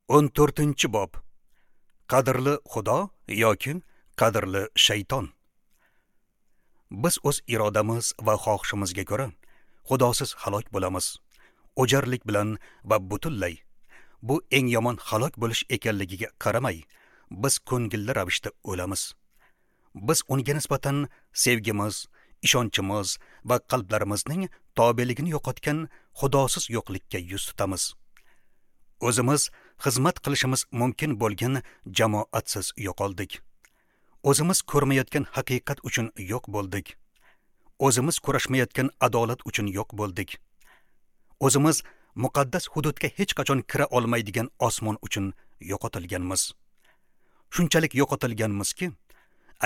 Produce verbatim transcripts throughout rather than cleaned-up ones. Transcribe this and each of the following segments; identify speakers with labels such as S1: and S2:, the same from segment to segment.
S1: O'n to'rtinchi bob. Qadrli Xudo yoki qadrli shayton. Biz o'z irodamiz va xohishimizga ko'ra Xudosiz halok bo'lamiz. O'jarlik bilan va butunlay. Bu eng yomon halok bo'lish ekanligiga qaramay, biz ko'ngilli ravishda o'lamiz. Biz unga nisbatan sevgimiz, ishonchimiz va qalblarimizning tobeligini yo'qotgan Xudosiz yo'qlikka yuz tutamiz. O'zimiz xizmat qilishimiz mumkin bo'lgan jamoatsiz yo'qoldik. O'zimiz ko'rmayotgan haqiqat uchun yo'q bo'ldik. O'zimiz kurashmayotgan adolat uchun yo'q bo'ldik. O'zimiz muqaddas hududga hech qachon kira olmaydigan osmon uchun yo'qotilganmiz. Shunchalik yo'qotilganmizki,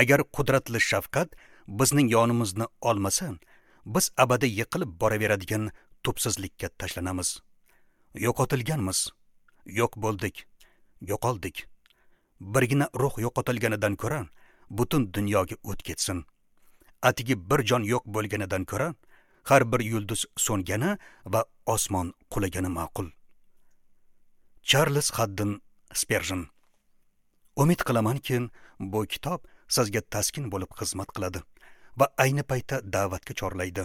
S1: agar qudratli shafqat bizning yonimizni olmasa, biz abadiy yiqilib boraveradigan tubsizlikka tashlanamiz. Yo'qotilganmiz. Yo'q bo'ldik. Yo'qoldik. Birgina ruh yo'qotilganidan ko'ra butun dunyoga o't ketsin. Atigi bir jon yo'q bo'lganidan ko'ra har bir yulduz so'ngani va osmon qulagani ma'qul. Charles Haddon Sperjen. Umid qilamanki, bu kitob sizga taskin bo'lib xizmat qiladi va ayni paytda da'vatga chorlaydi.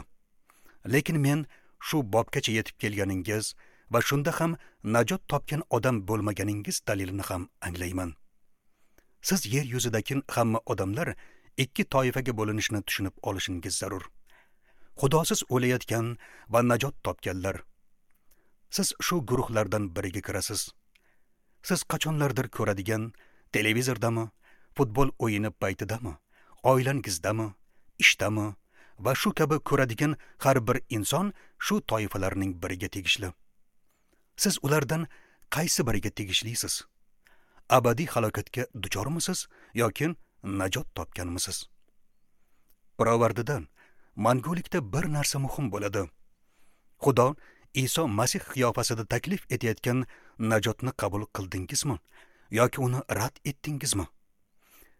S1: Lekin men shu bobgacha yetib kelganingiz va shunda ham najot topgan odam bo'lmaganingiz dalilini ham anglayman. Siz yer yuzidagi hamma odamlar ikki toifaga bo'linishini tushunib olishingiz zarur. Xudosiz o'layotgan va najot topganlar. Siz shu guruhlardan biriga kirasiz. Siz qachonlardir ko'radigan televizordami, futbol o'yini paytidami, oilangizdami, ishdami va shu kabi ko'radigan har bir inson shu toifalarning biriga tegishli. Siz ulardan qaysi biriga tegishlisiz? Abadiy halokatga duchormisiz yoki najot topganmisiz? Pirovardidan mangulikda bir narsa muhim bo'ladi. Xudo Iso Masih qiyofasida taklif etayotgan najotni qabul qildingizmi yoki uni rad etdingizmi?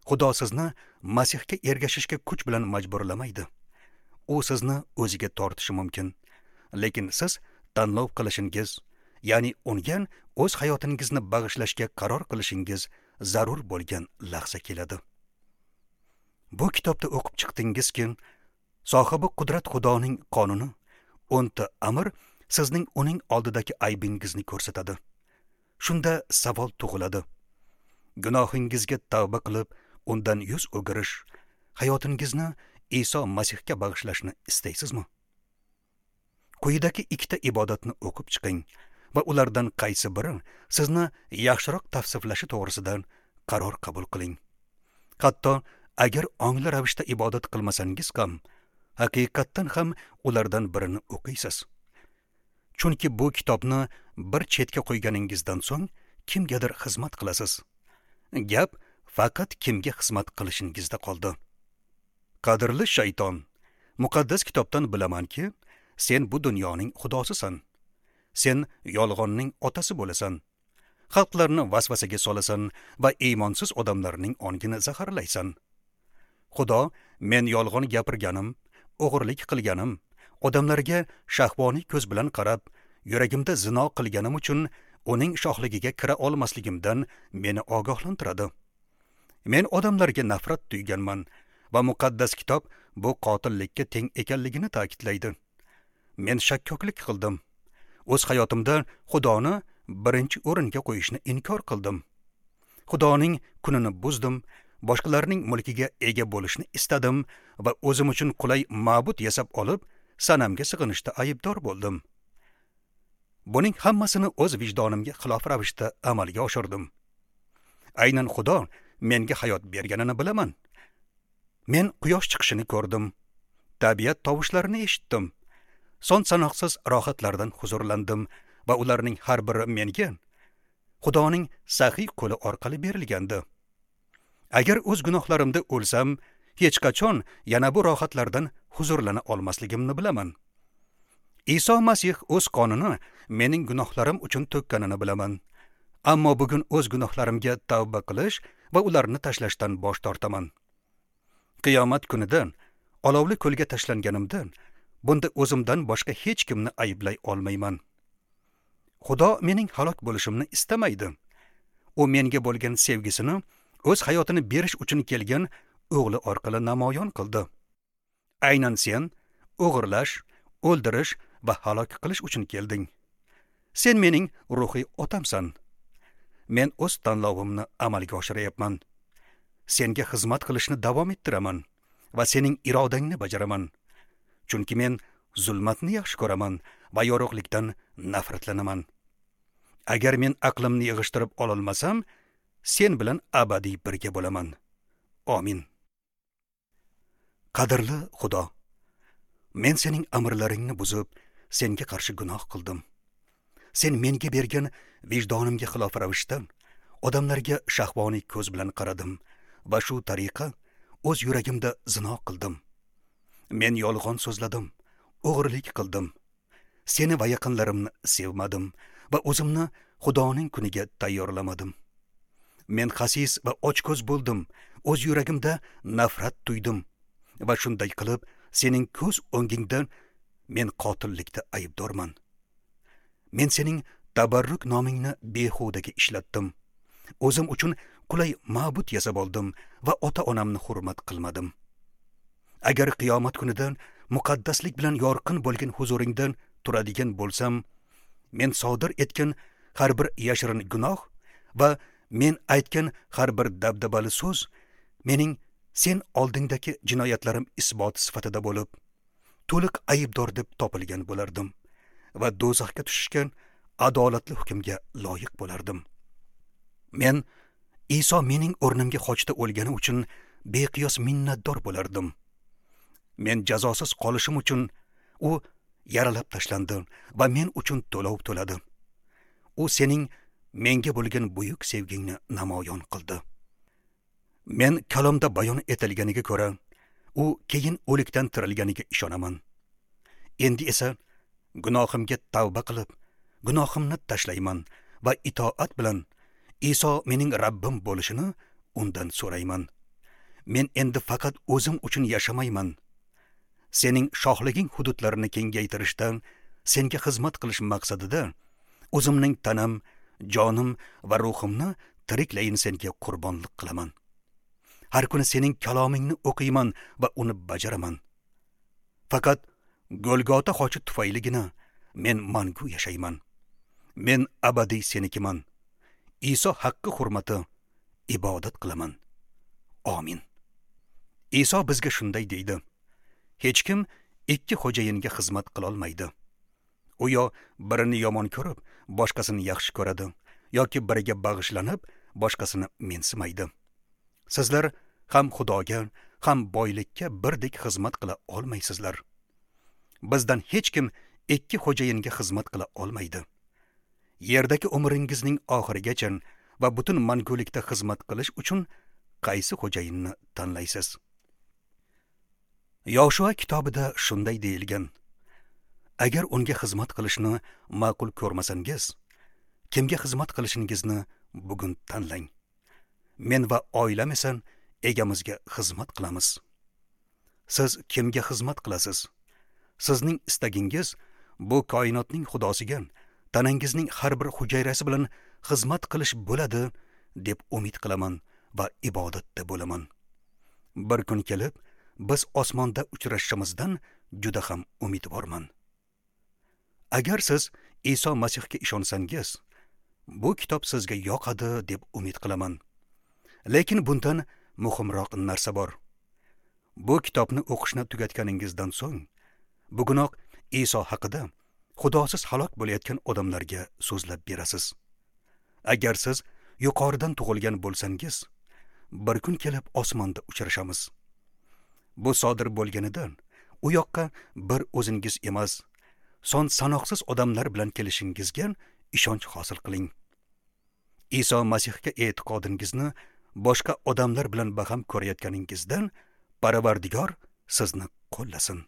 S1: Xudo sizni Masihga ergashishga kuch bilan majburlamaydi. U sizni o'ziga tortishi mumkin, lekin siz tanlov qilishingiz, ya'ni unga o'z hayotingizni bag'ishlashga qaror qilishingiz zarur bo'lgan lahza keladi. Bu kitobda o'qib chiqdingizki, sohibi qudrat Xudoning qonuni, o'nta amr sizning uning oldidagi aybingizni ko'rsatadi. Shunda savol tug'iladi. Gunohingizga tavba qilib, undan yuz o'girish, hayotingizni Iso Masihga bag'ishlashni istaysizmi? Quyidagi ikkita ibodatni o'qib chiqing va ulardan qaysi biri sizni yaxshiroq tavsiflashi to'g'risida qaror qabul qiling. Hatto agar ongli ravishda ibodat qilmasangiz ham, haqiqatdan ham ulardan birini o'qiysiz. Chunki bu kitobni bir chetga qo'yganingizdan so'ng kimgadir xizmat qilasiz. Gap faqat kimga xizmat qilishingizda qoldi. Qadrli shayton, muqaddas kitobdan bilamanki, sen bu dunyoning xudosisan. Sen yolg'onning otasi bo'lasan. Xalqlarni vasvasaga solasan va iymonsiz odamlarning ongini zaharlaysan. Xudo men yolg'on gapirganim, o'g'irlik qilganim, odamlarga shahvoniy ko'z bilan qarab, yuragimda zino qilganim uchun uning shohligiga kira olmasligimdan meni ogohlantiradi. Men odamlarga nafrat tuyganman va muqaddas kitob bu qotillikka teng ekanligini ta'kidlaydi. Men shakkoklik qildim. O'z hayotimda Xudoni birinchi o'ringa qo'yishni inkor qildim. Xudoning kunini buzdim, boshqalarning mulkiga ega bo'lishni istadim va o'zim uchun qulay ma'bud yasab olib, sanamga sig'inishda aybdor bo'ldim. Buning hammasini o'z vijdonimga xilof ravishda amalga oshirdim. Aynan Xudo menga hayot berganini bilaman. Men quyosh chiqishini ko'rdim, tabiat tovushlarini eshitdim, son sanoqsiz rohatlardan huzurlandim va ularning har biri menga Xudoning saxiy qo'li orqali berilgandi. Agar o'z gunohlarimda o'lsam, hech qachon yana bu rohatlardan huzurlana olmasligimni bilaman. Iso Masih o'z qonini mening gunohlarim uchun to'kkanini bilaman. Ammo bugun o'z gunohlarimga tavba qilish va ularni tashlashdan bosh tortaman. Qiyomat kunida olovli ko'lga tashlanganimda bunda o'zimdan boshqa hech kimni ayblay olmayman. Xudo mening halok bo'lishimni istamaydi. U menga bo'lgan sevgisini o'z hayotini berish uchun kelgan o'g'li orqali namoyon qildi. Aynan sen o'g'irlash, o'ldirish va halok qilish uchun kelding. Sen mening ruhiy otamsan. Men o'z tanlovimni amalga oshiryapman. Senga xizmat qilishni davom ettiraman va sening irodangni bajaraman. Chunki men zulmatni yaxshi ko'raman va yorug'likdan nafratlanaman. Agar men aqlimni yig'ishtirib ololmasam, sen bilan abadiy birga bo'laman. Amin. Qadrli Xudo, men sening amrlaringni buzib, senga qarshi gunoh qildim. Sen menga bergan vijdonimga xilof ravishda odamlarga shahvoniy ko'z bilan qaradim va shu tariqa o'z yuragimda zino qildim. Men yolg'on so'zladim, o'g'irlik qildim. Seni va yaqinlarimni sevmadim va o'zimni Xudoning kuniga tayyorlamadim. Men xasis va ochko'z bo'ldim, o'z yuragimda nafrat tuydim va shunday qilib sening ko'z o'ngingda men qotillikda aybdorman. Men sening tabarruk nomingni behudaga ishlatdim. O'zim uchun qulay ma'bud yasab oldim va ota-onamni hurmat qilmadim. Agar qiyomat kunidan muqaddaslik bilan yorqin bo'lgan huzuringdan turadigan bo'lsam, men sodir etgan har bir yashirin gunoh va men aytgan har bir dabdabali so'z mening sen oldingdagi jinoyatlarim isboti sifatida bo'lib, to'liq aybdor deb topilgan bo'lardim va do'zaxga tushishgan adolatli hukmga loyiq bo'lardim. Men Iso mening o'rnimga xochda o'lgani uchun beqiyos minnatdor bo'lardim. Men jazosiz qolishim uchun u yaralab tashlandi va men uchun to'lov to'ladi. U sening menga bo'lgan buyuk sevgingni namoyon qildi. Men kalomda bayon etilganiga ko'ra, u keyin o'likdan tirilganiga ishonaman. Endi esa gunohimga tavba qilib, gunohimni tashlayman va itoat bilan Iso mening Rabbim bo'lishini undan so'rayman. Men endi faqat o'zim uchun yashamayman. Sening shohliging hududlarini kengaytirishdan, senga xizmat qilish maqsadida o'zimning tanam, jonim va ruhimni tiriklayin senga qurbonlik qilaman. Har kuni sening kalomingni o'qiyman va uni bajaraman. Faqat Golgota xochi tufayligina men mangu yashayman. Men abadiy senikiman. Iso haqqi hurmati ibodat qilaman. Amin. Iso bizga shunday deydi: hech kim ikki xo'jayinga xizmat qila olmaydi. U yo birini yomon ko'rib, boshqasini yaxshi ko'radi, yoki biriga bag'ishlanib, boshqasini mensimaydi. Sizlar ham Xudoga, ham boylikka birdek xizmat qila olmaysizlar. Bizdan hech kim ikki xo'jayinga xizmat qila olmaydi. Yerdagi umringizning oxirigacha va butun mangulikda xizmat qilish uchun qaysi xo'jayinni tanlaysiz? Yoshua kitobida shunday deyilgan: agar unga xizmat qilishni ma'qul ko'rmasangiz, kimga xizmat qilishingizni bugun tanlang. Men va oilam esa egamizga xizmat qilamiz. Siz kimga xizmat qilasiz? Sizning istagingiz bu koinotning xudosiga tanangizning har bir hujayrasi bilan xizmat qilish bo'ladi deb umid qilaman va ibodatda bo'laman. Bir kun kelib biz osmonda uchrashishimizdan juda ham umidvorman. Agar siz Iso Masihga ishonsangiz, bu kitob sizga yoqadi deb umid qilaman. Lekin bundan muhimroq narsa bor. Bu kitobni o'qishni tugatganingizdan so'ng, bugunoq Iso haqida Xudosiz halok bo'layotgan odamlarga so'zlab berasiz. Agar siz yuqoridan tug'ilgan bo'lsangiz, bir kun kelib osmonda uchrashamiz. Bu sodir bo'lganidan u yoqqa bir o'zingiz emas, son sanoqsiz odamlar bilan kelishingizga ishonch hosil qiling. Iso Masihga e'tiqodingizni boshqa odamlar bilan baham ko'rayotganingizdan Parvardigor sizni qo'llasin.